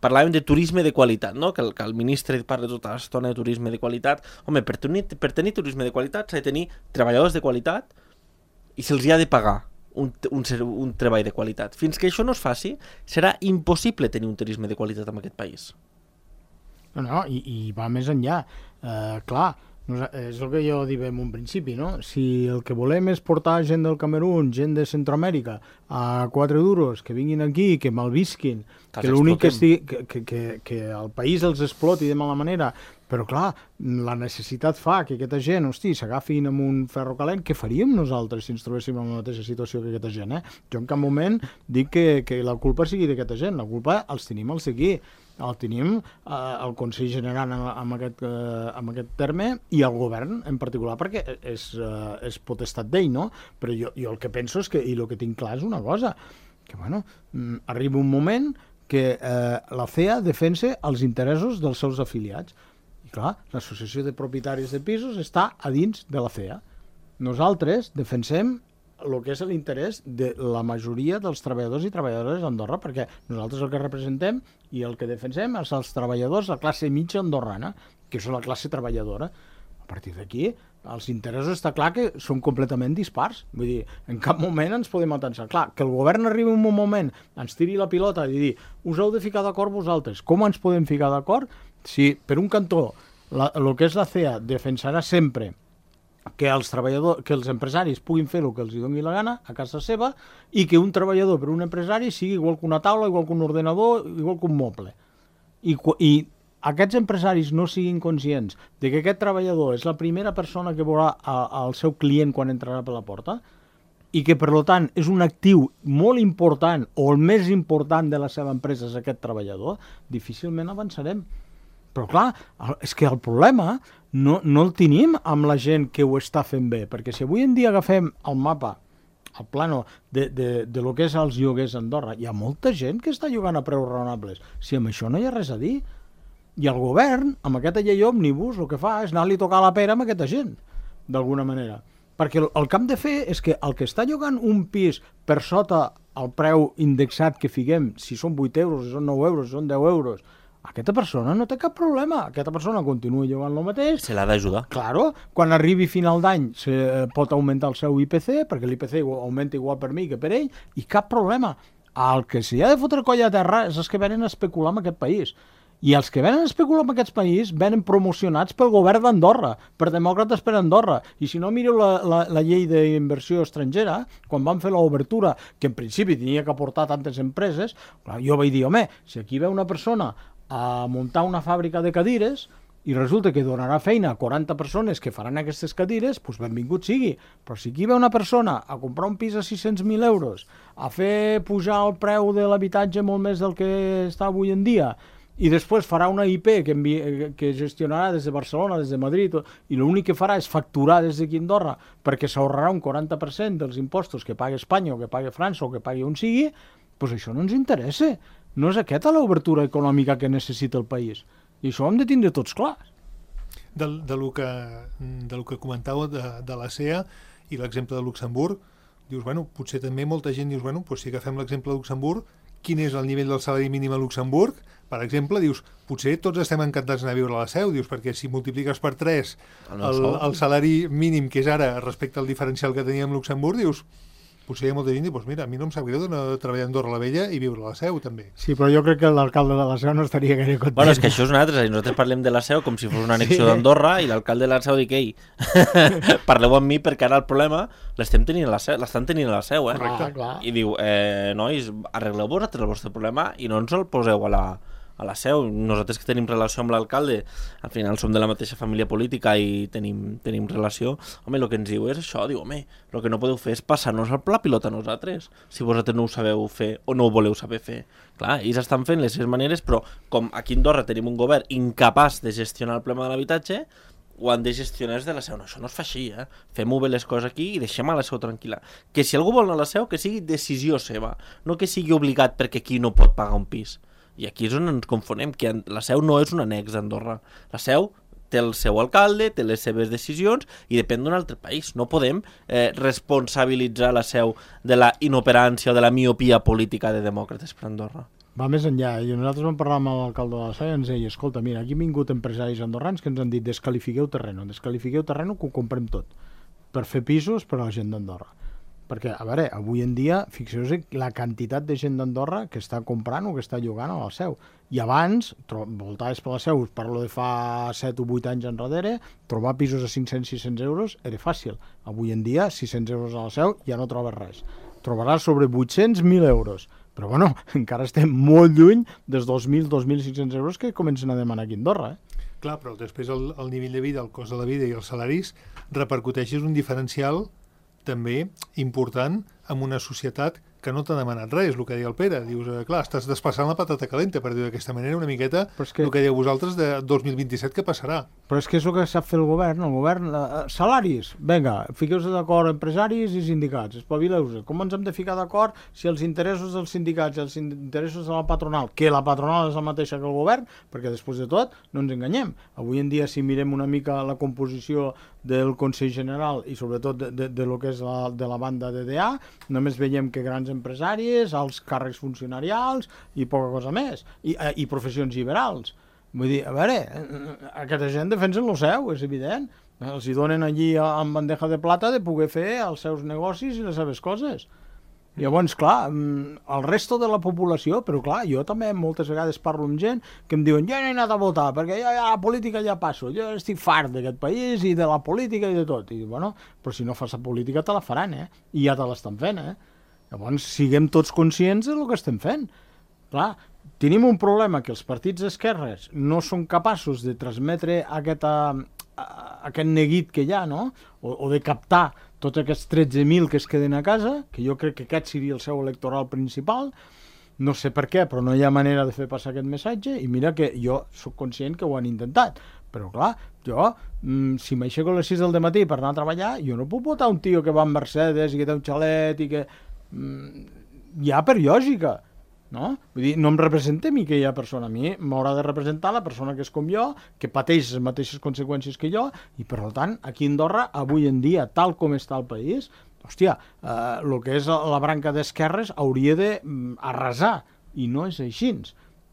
Parlàvem de turisme de qualitat, no? Que el ministre parla tota l'estona de turisme de qualitat. Home, per tenir turisme de qualitat s'ha de tenir treballadors de qualitat i se'ls ha de pagar un treball de qualitat. Fins que això no es faci, serà impossible tenir un turisme de qualitat en aquest país. No, i va més enllà. Clar, és el que jo dic en un principi, no? Si el que volem és portar gent del Camerún, gent de Centroamèrica, a 4 duros, que vinguin aquí, que malvisquin, que l'únic que el país els exploti de mala manera, però clar, la necessitat fa que aquesta gent, hosti, s'agafin amb un ferro calent. Què faríem nosaltres si ens trobéssim en la mateixa situació que aquesta gent, Jo en cap moment dic que la culpa sigui d'aquesta gent, la culpa els tenim els d'aquí. El tenim el Consell General amb aquest terme i el govern en particular, perquè és potestat d'ell, no? Però jo el que penso és que, i el que tinc clar és una cosa, que bueno, arriba un moment que la CEA defensa els interessos dels seus afiliats. I clar, l'associació de propietaris de pisos està a dins de la CEA. Nosaltres defensem el que és l'interès de la majoria dels treballadors i treballadores d'Andorra, perquè nosaltres el que representem i el que defensem és els treballadors de la classe mitja andorrana, que és la classe treballadora. A partir d'aquí, els interessos està clar que són completament dispars. Vull dir, en cap moment ens podem atensar. Clar, que el govern arribi en un moment, ens tiri la pilota i dir, us heu de ficar d'acord vosaltres. Com ens podem ficar d'acord si, per un cantó, el que és la CEA defensarà sempre que els empresaris puguin fer el que els doni la gana a casa seva i que un treballador per un empresari sigui igual que una taula, igual que un ordenador, igual que un moble. I aquests empresaris no siguin conscients de que aquest treballador és la primera persona que veurà el seu client quan entrarà per la porta i que, per tant, és un actiu molt important o el més important de la seva empresa és aquest treballador, difícilment avançarem. Però clar, és que el problema no el tenim amb la gent que ho està fent bé, perquè si avui en dia agafem el mapa al plano de lo que és els lloguers a Andorra, hi ha molta gent que està llogant a preus raonables. Si amb això no hi ha res a dir. I el govern, amb aquesta llei òmnibus, el que fa és anar-li a tocar la pera amb aquesta gent, d'alguna manera. Perquè el que hem de fer és que el que està llogant un pis per sota el preu indexat que fiquem, si són 8 euros, si són 9 euros, si són 10 euros, aquesta persona no té cap problema. Aquesta persona continua llogant el mateix. Se l'ha d'ajudar. Claro, quan arribi final d'any pot augmentar el seu IPC, perquè l'IPC augmenta igual per mi que per ell, i cap problema. El que s'hi ha de fotre coll a terra és els que venen a especular amb aquest país. I els que venen a especular amb aquest país venen promocionats pel govern d'Andorra, per demòcrates per Andorra. I si no, mireu la llei d'inversió estrangera, quan van fer l'obertura, que en principi tenia que aportar tantes empreses, clar, jo vaig dir, home, si aquí ve una persona a muntar una fàbrica de cadires i resulta que donarà feina a 40 persones que faran aquestes cadires, doncs benvingut sigui. Però si aquí ve una persona a comprar un pis a 600.000 euros, a fer pujar el preu de l'habitatge molt més del que està avui en dia, i després farà una IP que gestionarà des de Barcelona, des de Madrid, i l'únic que farà és facturar des d'aquí a Andorra perquè s'ahorrarà un 40% dels impostos que paga Espanya o que paga França o que pagui on sigui, doncs això no ens interessa. No és aquesta l'obertura econòmica que necessita el país. I això ho hem de tindre tots clars. De lo que comentàveu de la CEA i l'exemple de Luxemburg, dius, bueno, potser també molta gent dius, bueno, doncs si agafem l'exemple de Luxemburg, quin és el nivell del salari mínim a Luxemburg? Per exemple, dius, potser tots estem encantats d'anar a viure a la Seu, dius, perquè si multipliques per 3 el salari mínim que és ara respecte al diferencial que teníem a Luxemburg, dius, potser hi ha molta gent i dius, mira, a mi no em sap greu d'anar a treballar a Andorra la Vella i viure a la Seu, també. Sí, però jo crec que l'alcalde de la Seu no estaria gaire content. Bueno, és que això és una altra, nosaltres parlem de la Seu com si fos una annexió d'Andorra i l'alcalde de la Seu dic, ei, parleu amb mi perquè ara el problema l'estan tenint a la Seu, Clar. I diu, nois, arregleu vosaltres el vostre problema i no ens el poseu a la Seu. Nosaltres que tenim relació amb l'alcalde, al final som de la mateixa família política i tenim relació, home, el que ens diu és això, diu, home, el que no podeu fer és passar-nos la pilota a nosaltres, si vosaltres no ho sabeu fer o no ho voleu saber fer. Clar, ells estan fent les seves maneres, però com aquí a Andorra tenim un govern incapaç de gestionar el problema de l'habitatge, ho han de gestionar des de la Seu. No, això no es fa així, Fem-ho bé les coses aquí i deixem a la Seu tranquil·la. Que si algú vol anar a la Seu, que sigui decisió seva, no que sigui obligat perquè aquí no pot pagar un pis. I aquí és on ens confonem, que la Seu no és un annex d'Andorra. La Seu té el seu alcalde, té les seves decisions i depèn d'un altre país. No podem responsabilitzar la Seu de la inoperància o de la miopia política de demòcrates per Andorra. Va més enllà, i nosaltres vam parlar amb l'alcalde de la Seu i ens deia, escolta, mira, aquí han vingut empresaris andorrans que ens han dit descalifiqueu terreno que ho comprem tot per fer pisos per a la gent d'Andorra. Perquè, a veure, avui en dia, fixeu-vos la quantitat de gent d'Andorra que està comprant o que està llogant a la Seu. I abans, voltaves per la Seu, parlo de fa 7 o 8 anys enrere, trobar pisos a 500-600 euros era fàcil. Avui en dia, 600 euros a la Seu ja no trobes res. Trobaràs sobre 800-1.000 euros. Però, bueno, encara estem molt lluny dels 2.000-2.500 euros que comencen a demanar aquí a Andorra, Clar, però després el nivell de vida, el cost de la vida i els salaris repercuteixen un diferencial també important en una societat que no t'ha demanat res, el que deia el Pere. Dius, clar, estàs desplaçant la patata calenta, per dir d'aquesta manera, una miqueta el que dieu vosaltres de 2027 que passarà. Però és que és el que sap fer el govern. Salaris, vinga, fiqueu-vos d'acord empresaris i sindicats, espavileu-vos. Com ens hem de ficar d'acord si els interessos dels sindicats i els interessos de la patronal, que la patronal és la mateixa que el govern, perquè després de tot no ens enganyem. Avui en dia, si mirem una mica la composició del Consell General i sobretot de lo que és de la banda DDA, només veiem que grans empresaris, alts càrrecs funcionarials i poca cosa més, i professions liberals. Vull dir, a veure, aquesta gent defensen el seu, és evident. Els hi donen allí amb bandeja de plata de poder fer els seus negocis i les seves coses. Llavors, clar, el resto de la població, però clar, jo també moltes vegades parlo amb gent que em diuen, jo no he anat a votar, perquè jo a la política ja passo, jo estic fart d'aquest país i de la política i de tot. I bueno, però si no fas la política te la faran, i ja te l'estan fent, Llavors, siguem tots conscients del que estem fent. Clar, tenim un problema que els partits d'esquerres no són capaços de transmetre aquest neguit que hi ha, no? O de captar tots aquests 13.000 que es queden a casa, que jo crec que aquest seria el seu electoral principal. No sé per què, però no hi ha manera de fer passar aquest missatge, i mira que jo sóc conscient que ho han intentat, Però clar, jo, si m'aixeco a les 6 del matí per anar a treballar, jo no puc votar un tio que va amb Mercedes i que té un xalet i que... Ja per lògica, no? Vull dir, no em representa a mi aquella persona, a mi m'haurà de representar la persona que és com jo, que pateix les mateixes conseqüències que jo, i per tant, aquí a Andorra, avui en dia, tal com està el país, hòstia, el que és la branca d'esquerres hauria d'arrasar, i no és així.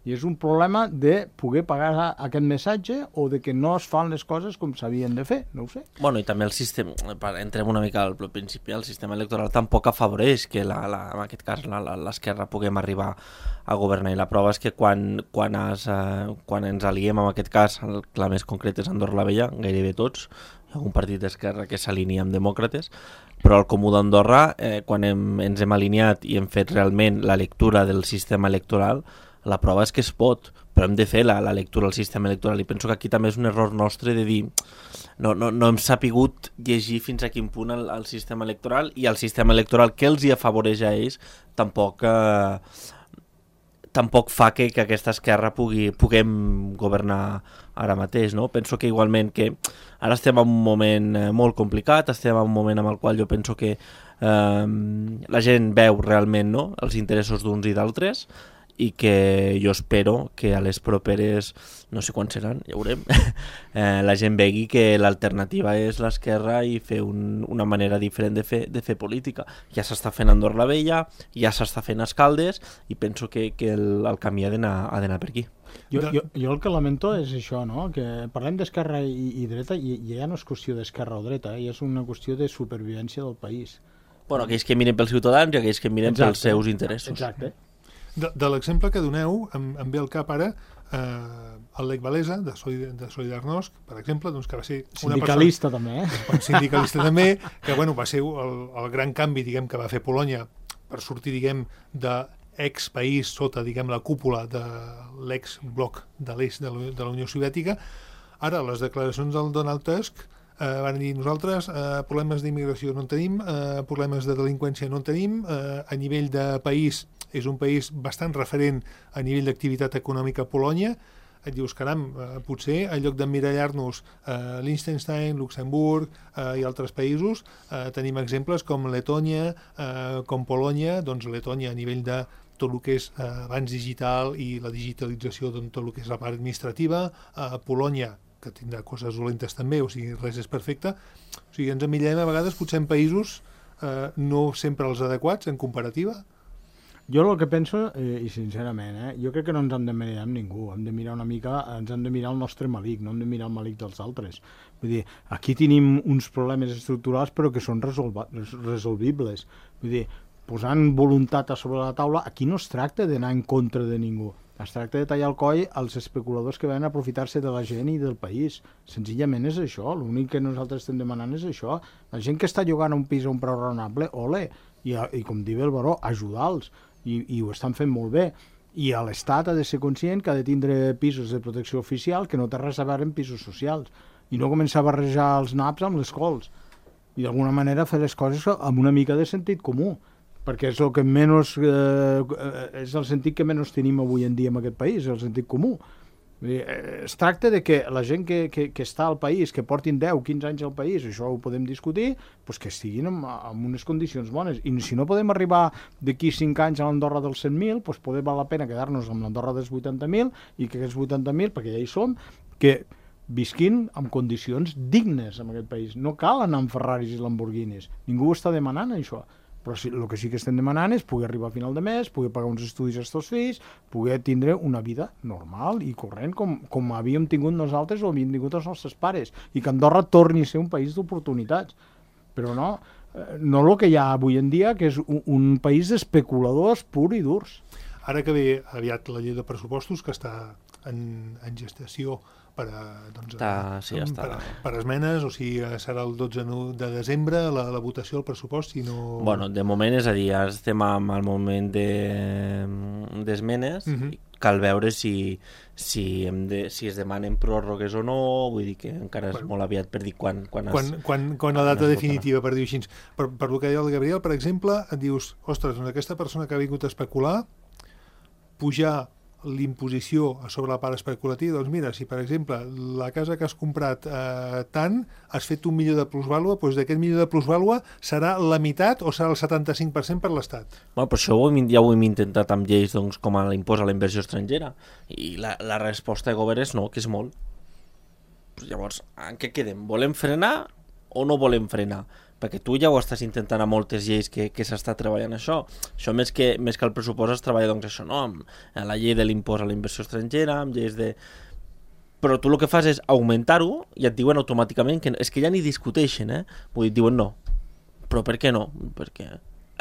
I és un problema de poder pagar aquest missatge o de que no es fan les coses com s'havien de fer, no ho sé. Bueno, i també el sistema, entrem una mica al principi, el sistema electoral tampoc afavoreix que en aquest cas l'esquerra puguem arribar a governar, i la prova és que quan ens aliem, en aquest cas, el clar més concret és Andorra la Vella, gairebé tots, hi ha algun partit d'esquerra que s'alinea amb demòcrates, però al Comú d'Andorra, quan ens hem alineat i hem fet realment la lectura del sistema electoral, la prova és que es pot, però hem de fer la lectura del sistema electoral, i penso que aquí també és un error nostre de dir no hem sapigut llegir fins a quin punt el sistema electoral, i el sistema electoral que els hi afavoreix a ells tampoc fa que aquesta esquerra puguem governar ara mateix, no? Penso que igualment que ara estem en un moment molt complicat, estem en un moment en el qual jo penso que la gent veu realment, no?, els interessos d'uns i d'altres, i que jo espero que a les properes, no sé quan seran, ja veurem, la gent vegi que l'alternativa és l'esquerra i fer una manera diferent de fer política. Ja s'està fent a Andorra la Vella, ja s'està fent a Escaldes, i penso que el camí ha d'anar per aquí. Jo el que lamento és això, no?, que parlem d'esquerra i dreta, i ja no és qüestió d'esquerra o dreta, ja és una qüestió de supervivència del país. Bueno, aquells que miren pels ciutadans i aquells que miren pels seus interessos. Exacte. De l'exemple que doneu, em ve al cap ara el Lech Walesa, de Solidarnosc, per exemple, doncs, que va ser una sindicalista també, sindicalista també, que bueno, va ser el gran canvi, diguem, que va fer Polònia per sortir, diguem, d'ex-país sota, diguem, la cúpula de l'ex-bloc de l'est de la Unió Soviètica. Ara, les declaracions del Donald Tusk van dir, nosaltres problemes d'immigració no en tenim, problemes de delinqüència no en tenim, a nivell de país és un país bastant referent a nivell d'activitat econòmica a Polònia. Et dius, caram, potser en lloc d'emmirallar-nos Liechtenstein, Luxemburg i altres països, tenim exemples com Letònia, com Polònia. Doncs Letònia a nivell de tot el que és avanç digital i la digitalització de tot el que és la part administrativa, Polònia, que tindrà coses dolentes també, o sigui, res és perfecte. O sigui, ens emmirallem a vegades potser en països no sempre els adequats en comparativa. Jo el que penso, i sincerament, jo crec que no ens hem de mirar amb ningú, hem de mirar una mica, ens hem de mirar el nostre malic, no hem de mirar el malic dels altres. Vull dir, aquí tenim uns problemes estructurals però que són resolvibles. Vull dir, posant voluntat a sobre la taula, aquí no es tracta d'anar en contra de ningú. Es tracta de tallar el coll als especuladors que van aprofitar-se de la gent i del país. Senzillament és això, l'únic que nosaltres estem demanant és això. La gent que està llogant un pis a un preu raonable, ole, i com diu el Baró, ajudar-los. I ho estan fent molt bé. I l'Estat ha de ser conscient que ha de tindre pisos de protecció oficial que no té res a veure amb pisos socials. I no començar a barrejar els naps amb les cols. I d'alguna manera fer les coses amb una mica de sentit comú. Perquè és el que menys, és el sentit que menys tenim avui en dia en aquest país, el sentit comú. Es tracta de que la gent que està al país, que portin 10, 15 anys al país, això ho podem discutir, doncs que estiguin en unes condicions bones. I si no podem arribar d'aquí 5 anys a l'Andorra dels 100.000, doncs poder val la pena quedar-nos amb l'Andorra dels 80.000 i que aquests 80.000, perquè ja hi som, que visquin en condicions dignes en aquest país. No cal anar amb Ferraris i Lamborghinis. Ningú ho està demanant, això. Però el que sí que estem demanant és poder arribar a final de mes, poder pagar uns estudis als teus fills, poder tindre una vida normal i corrent com havíem tingut nosaltres o havíem tingut els nostres pares, i que Andorra torni a ser un país d'oportunitats. Però no el que hi ha avui en dia, que és un país d'especuladors pur i durs. Ara que ve aviat la llei de pressupostos, que està en gestació per esmenes, o sigui, serà el 12 de desembre la votació del pressupost, si no... Bueno, de moment, és a dir, ara estem al moment d'esmenes, cal veure si es demanen pròrrogues o no, vull dir que encara és molt aviat per dir quan la data definitiva, per dir així. Per el que deia el Gabriel, per exemple, et dius, ostres, doncs aquesta persona que ha vingut a especular, pujar l'imposició sobre la part especulativa, doncs mira, si per exemple la casa que has comprat tant, has fet 1 milió de plusvàlua, doncs d'aquest milió de plusvàlua serà la meitat o serà el 75% per l'Estat. Bueno, però això ja ho hem intentat amb lleis doncs, com l'impost a la inversió estrangera, i la resposta de govern és no, que és molt. Llavors, en què quedem? Volem frenar o no volem frenar? Perquè tu ja ho estàs intentant a moltes lleis que s'està treballant això. Això més que el pressupost es treballa doncs això, no? Amb la llei de l'impost a la inversió estrangera, amb lleis de... Però tu el que fas és augmentar-ho i et diuen automàticament que és que ja ni discuteixen, Vull dir, diuen no. Però per què no? Perquè...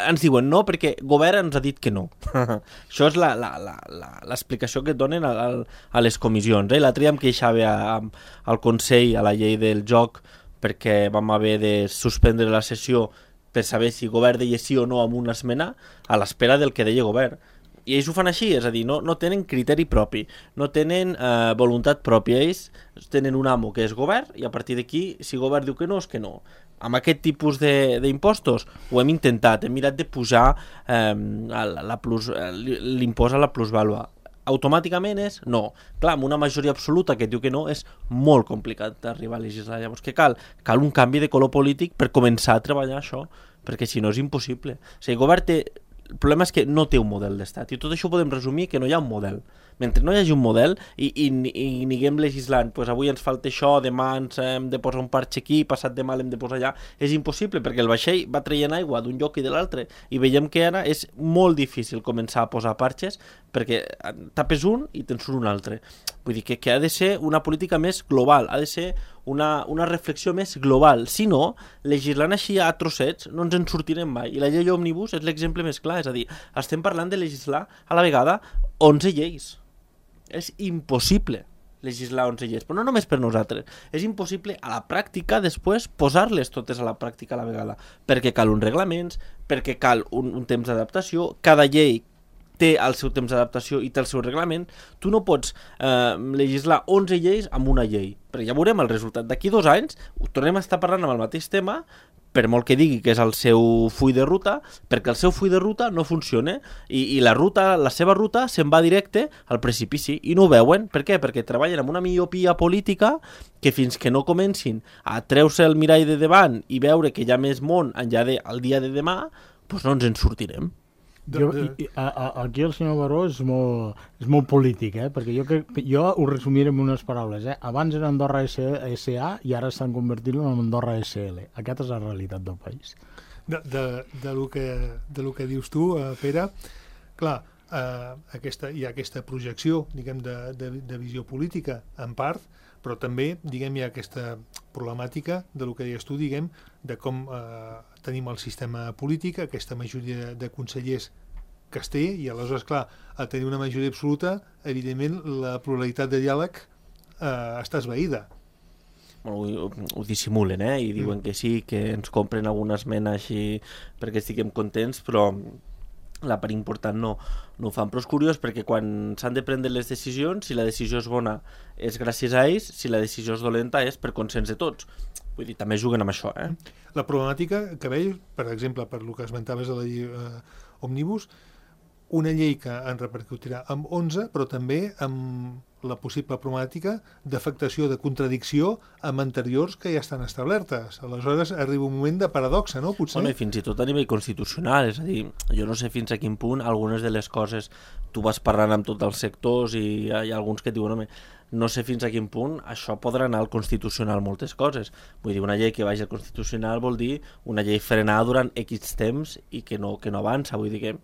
Ens diuen no perquè el govern ens ha dit que no. Això és l'explicació que et donen a les comissions. L'altre dia em queixava al Consell a la llei del joc perquè vam haver de suspendre la sessió per saber si el govern deia sí o no amb una esmena a l'espera del que deia el govern. I ells ho fan així, és a dir, no tenen criteri propi, no tenen voluntat pròpia, ells tenen un amo que és govern i a partir d'aquí, si el govern diu que no, és que no. Amb aquest tipus d'impostos ho hem intentat, hem mirat de pujar l'impost a la plusvàlua. Automàticament és no. Clar, amb una majoria absoluta que diu que no és molt complicat d'arribar a legislar. Llavors què cal? Cal un canvi de color polític per començar a treballar això, perquè si no és impossible. O sigui, el govern té... El problema és que no té un model d'estat i tot això ho podem resumir que no hi ha un model. Mentre no hi hagi un model i aniguem legislant, doncs avui ens falta això, demà ens hem de posar un parxe aquí, passat demà l'hem de posar allà, és impossible perquè el vaixell va traient aigua d'un lloc i de l'altre i veiem que ara és molt difícil començar a posar parxes perquè tapes un i te'n surt un altre. Vull dir que ha de ser una política més global, ha de ser una reflexió més global. Si no, legislant així a trossets no ens en sortirem mai. I la llei òmnibus és l'exemple més clar, és a dir, estem parlant de legislar a la vegada 11 lleis. És impossible legislar 11 lleis, però no només per nosaltres. És impossible a la pràctica després posar-les totes a la pràctica a la vegada, perquè cal uns reglaments, perquè cal un temps d'adaptació, cada llei té el seu temps d'adaptació i té el seu reglament. Tu no pots legislar 11 lleis amb una llei, perquè ja veurem el resultat. D'aquí 2 anys tornem a estar parlant amb el mateix tema, per molt que digui que és el seu full de ruta, perquè el seu full de ruta no funciona i la seva ruta se'n va directe al precipici i no ho veuen. Per què? Perquè treballen amb una miopia política que fins que no comencin a treure-se el mirall de davant i veure que hi ha més món enllà del dia de demà, doncs no ens en sortirem. Aquí el senyor Baró és molt polític, perquè jo ho resumiré en unes paraules. Abans era Andorra SA i ara estan convertint-lo en Andorra SL. Aquesta és la realitat del país. De lo que dius tu, Pere, clar, hi ha aquesta projecció, diguem, de visió política, en part, però també, diguem, hi ha aquesta problemàtica de lo que deies tu, diguem, de com tenim el sistema polític, aquesta majoria de consellers que es té, i aleshores, clar, a tenir una majoria absoluta, evidentment, la pluralitat de diàleg està esvaïda. Bueno, ho dissimulen, i diuen que sí, que ens compren alguna esmena així perquè estiguem contents, però la part important no ho fan. Però és curiós perquè quan s'han de prendre les decisions, si la decisió és bona és gràcies a ells, si la decisió és dolenta és per consens de tots. Vull dir, també juguen amb això, La problemàtica que veig, per exemple, per el que esmentaves a la llei òmnibus, una llei que en repercutirà amb 11, però també amb la possible problemàtica d'afectació, de contradicció amb anteriors que ja estan establertes. Aleshores arriba un moment de paradoxa, no? Potser. Bueno, i fins i tot a nivell constitucional, és a dir, jo no sé fins a quin punt algunes de les coses tu vas parlant amb tots els sectors i hi ha alguns que et diuen, home, no sé fins a quin punt això podrà anar al Constitucional moltes coses. Vull dir, una llei que vagi al Constitucional vol dir una llei frenada durant X temps i que no avança. Vull dir que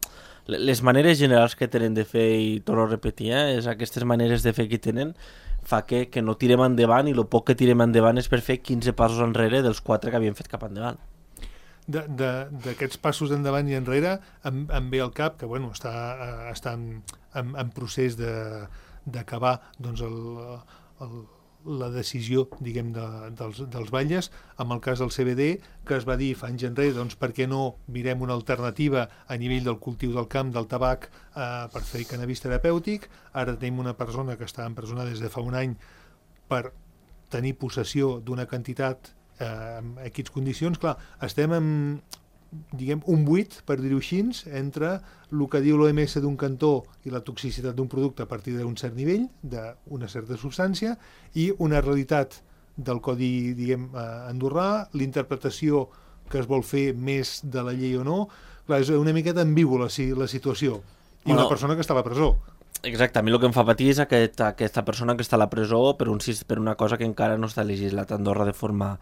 les maneres generals que tenen de fer, i torno a repetir, és aquestes maneres de fer que tenen, fa que no tirem endavant, i el poc que tirem endavant és per fer 15 passos enrere dels 4 que havíem fet cap endavant. D'aquests passos endavant i enrere em ve al cap que bueno, està en procés d'acabar doncs, la decisió, diguem, dels batlles, amb el cas del CBD, que es va dir fa anys enrere, doncs per què no mirem una alternativa a nivell del cultiu del camp, del tabac, per fer cannabis terapèutic. Ara tenim una persona que està empresonada des de fa un any per tenir possessió d'una quantitat en aquestes condicions. Clar, estem diguem, un buit, per dir-ho així, entre el que diu l'OMS d'un cantó i la toxicitat d'un producte a partir d'un cert nivell, d'una certa substància, i una realitat del codi, diguem, andorrà, l'interpretació que es vol fer més de la llei o no. Clar, és una miqueta ambigua la situació. I una persona que està a la presó. Exacte, a mi el que em fa patir és aquesta persona que està a la presó per una cosa que encara no està legislat a Andorra de forma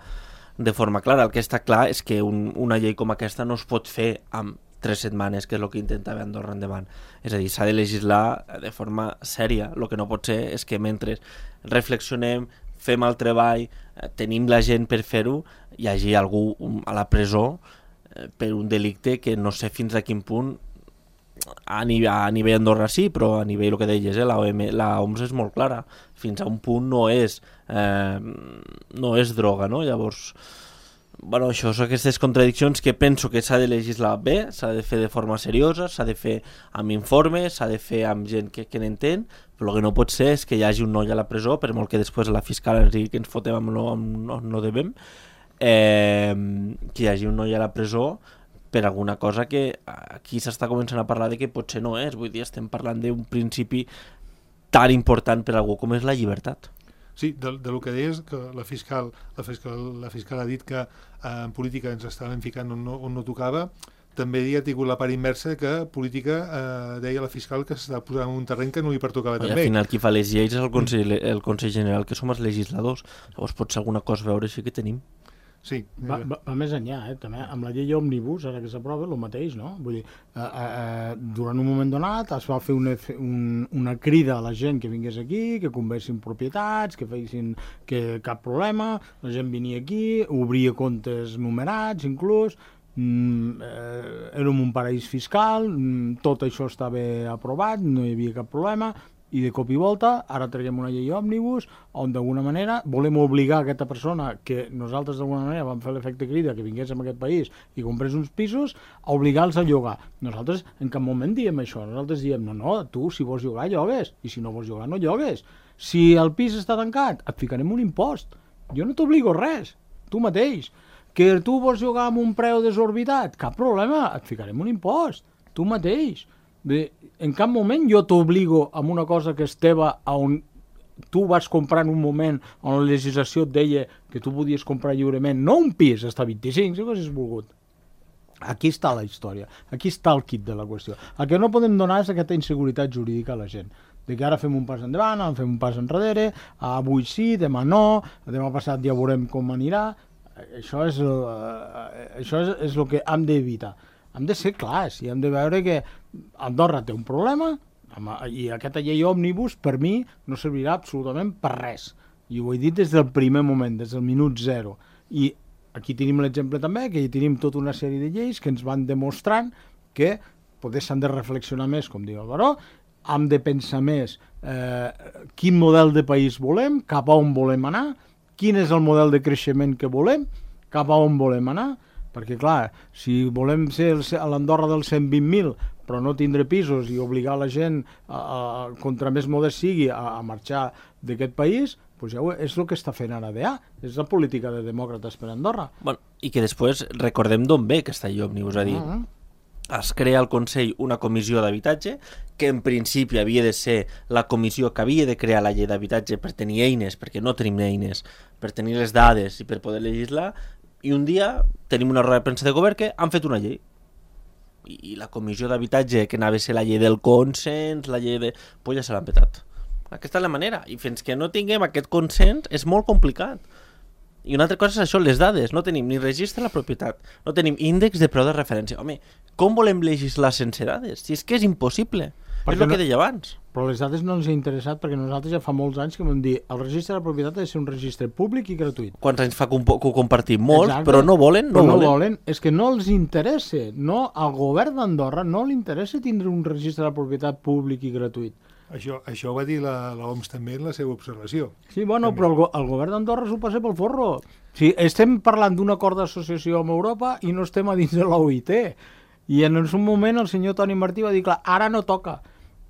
clara. El que està clar és que una llei com aquesta no es pot fer amb 3 setmanes, que és el que intentava Andorra endavant. És a dir, s'ha de legislar de forma sèria. El que no pot ser és que mentre reflexionem, fem el treball, tenim la gent per fer-ho, hi hagi algú a la presó per un delicte que no sé fins a quin punt a nivell Andorra sí, però a nivell, el que deies, la OMS és molt clara, fins a un punt no és droga, no? Llavors, bueno, això són aquestes contradiccions que penso que s'ha de legislar bé, s'ha de fer de forma seriosa, s'ha de fer amb informes, s'ha de fer amb gent que n'entén, però el que no pot ser és que hi hagi un noi a la presó, per molt que després la fiscal ens digui que ens fotem amb no devem, que hi hagi un noi a la presó per alguna cosa que aquí s'està començant a parlar de que potser no és. Vull dir, estem parlant d'un principi tan important per a algú com és la llibertat. Sí, de lo que deies, que la fiscal ha dit que en política ens estàvem ficant on no tocava, també ha tingut la part inversa que política deia la fiscal que s'està posant en un terreny que no li pertocava també. Al final qui fa les lleis és el Consell General, que som els legisladors. Llavors potser alguna cosa a veure així que tenim. Sí. Va més enllà, també. Amb la llei òmnibus, ara que s'aprova, el mateix, no? Vull dir, durant un moment donat es va fer una crida a la gent que vingués aquí, que conversin propietats, que fessin cap problema, la gent venia aquí, obria comptes numerats, inclús, érem un paraís fiscal, tot això estava aprovat, no hi havia cap problema, i de cop i volta ara traguem una llei òmnibus on d'alguna manera volem obligar aquesta persona que nosaltres d'alguna manera vam fer l'efecte crida que vingués a aquest país i comprés uns pisos a obligar-los a llogar. Nosaltres en cap moment diem això, nosaltres diem no, tu si vols llogar llogues i si no vols llogar no llogues. Si el pis està tancat et ficarem un impost, jo no t'obligo res, tu mateix. Que tu vols llogar amb un preu desorbitat, cap problema, et ficarem un impost, tu mateix. Bé, en cap moment jo t'obligo amb una cosa que és teva on tu vas comprar en un moment on la legislació et deia que tu podies comprar lliurement, no un pis, hasta 25, si ho haguessis volgut. Aquí està la història, aquí està el kit de la qüestió. El que no podem donar és aquesta inseguretat jurídica a la gent, de que ara fem un pas endavant, ara fem un pas enrere, avui sí, demà no, demà passat ja veurem com anirà. Això és el que hem d'evitar. Hem de ser clars i hem de veure que Andorra té un problema i aquesta llei òmnibus per mi no servirà absolutament per res. I ho he dit des del primer moment, des del minut zero. I aquí tenim l'exemple també, que hi tenim tota una sèrie de lleis que ens van demostrant que potser s'han de reflexionar més, com diu el Baró, hem de pensar més quin model de país volem, cap a on volem anar, quin és el model de creixement que volem, cap a on volem anar, perquè clar, si volem ser a l'Andorra dels 120.000 però no tindre pisos i obligar la gent contra més modest sigui a marxar d'aquest país, doncs ja és el que està fent ara DA, és la política de demòcrates per Andorra. Bueno, i que després recordem d'on ve aquesta llei òmnibus, és a dir, es crea al Consell una comissió d'habitatge que en principi havia de ser la comissió que havia de crear la llei d'habitatge per tenir eines, perquè no tenim eines, per tenir les dades i per poder legislar. I un dia tenim una roda de premsa de govern que han fet una llei. I la comissió d'habitatge, que anava a ser la llei del consens, la llei de... pues ja se l'han petat. Aquesta és la manera. I fins que no tinguem aquest consens és molt complicat. I una altra cosa és això, les dades. No tenim ni registre de la propietat, no tenim índex de preu de referència. Home, com volem legislar sense dades? Si és que és impossible. És el que deia abans. Però les dades no ens ha interessat perquè nosaltres ja fa molts anys que vam dir el registre de la propietat ha de ser un registre públic i gratuït. Quants anys fa que ho compartim? Molts, exacte. Però no volen. No volen. És que no els interessa. No, al govern d'Andorra no li interessa tindre un registre de la propietat públic i gratuït. Això ho va dir l'OMS també en la seva observació. Sí, bueno, també. Però el govern d'Andorra s'ho passa pel forro. Sí, estem parlant d'un acord d'associació amb Europa i no estem a dins de l'OIT. I en un moment el senyor Toni Martí va dir, clar, ara no toca.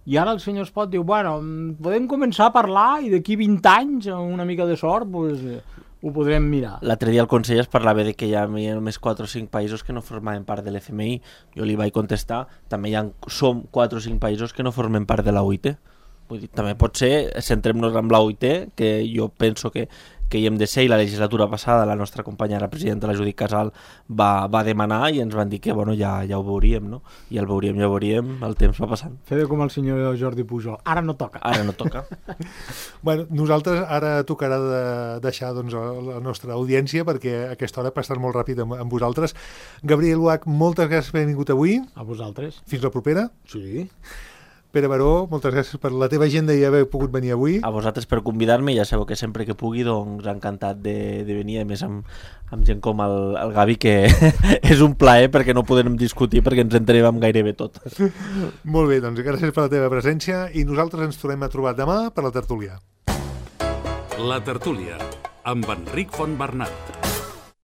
I ara el senyor Espot diu, bueno, podem començar a parlar i d'aquí 20 anys, amb una mica de sort, pues, ho podrem mirar. L'altre dia el conseller es parlava de que hi havia només 4 o 5 països que no formaven part de l'FMI. Jo li vaig contestar, també som 4 o 5 països que no formen part de la OIT. Vull dir, també pot ser, centrem-nos en la OIT, que jo penso que hi hem de ser, i la legislatura passada la nostra companya, la presidenta, la Judit Casal, va demanar i ens van dir que bueno, ja ho veuríem, no? I el veuríem, el temps va passant. Fer com el senyor Jordi Pujol, ara no toca. Ara no toca. Bueno, nosaltres ara tocarà de deixar doncs, la nostra audiència perquè aquesta hora passarà molt ràpid amb vosaltres. Gabriel Uach, moltes gràcies per haver vingut avui. A vosaltres. Fins la propera. Sí. Pere Baró, moltes gràcies per la teva agenda i haver pogut venir avui. A vosaltres per convidar-me, ja sabeu que sempre que pugui doncs encantat de venir, a més amb gent com el Gavi, que és un plaer perquè no podem discutir perquè ens entenem amb gairebé tot. Molt bé, doncs gràcies per la teva presència i nosaltres ens tornem a trobar demà per la tertúlia. La tertúlia, amb Enric Fontbernat.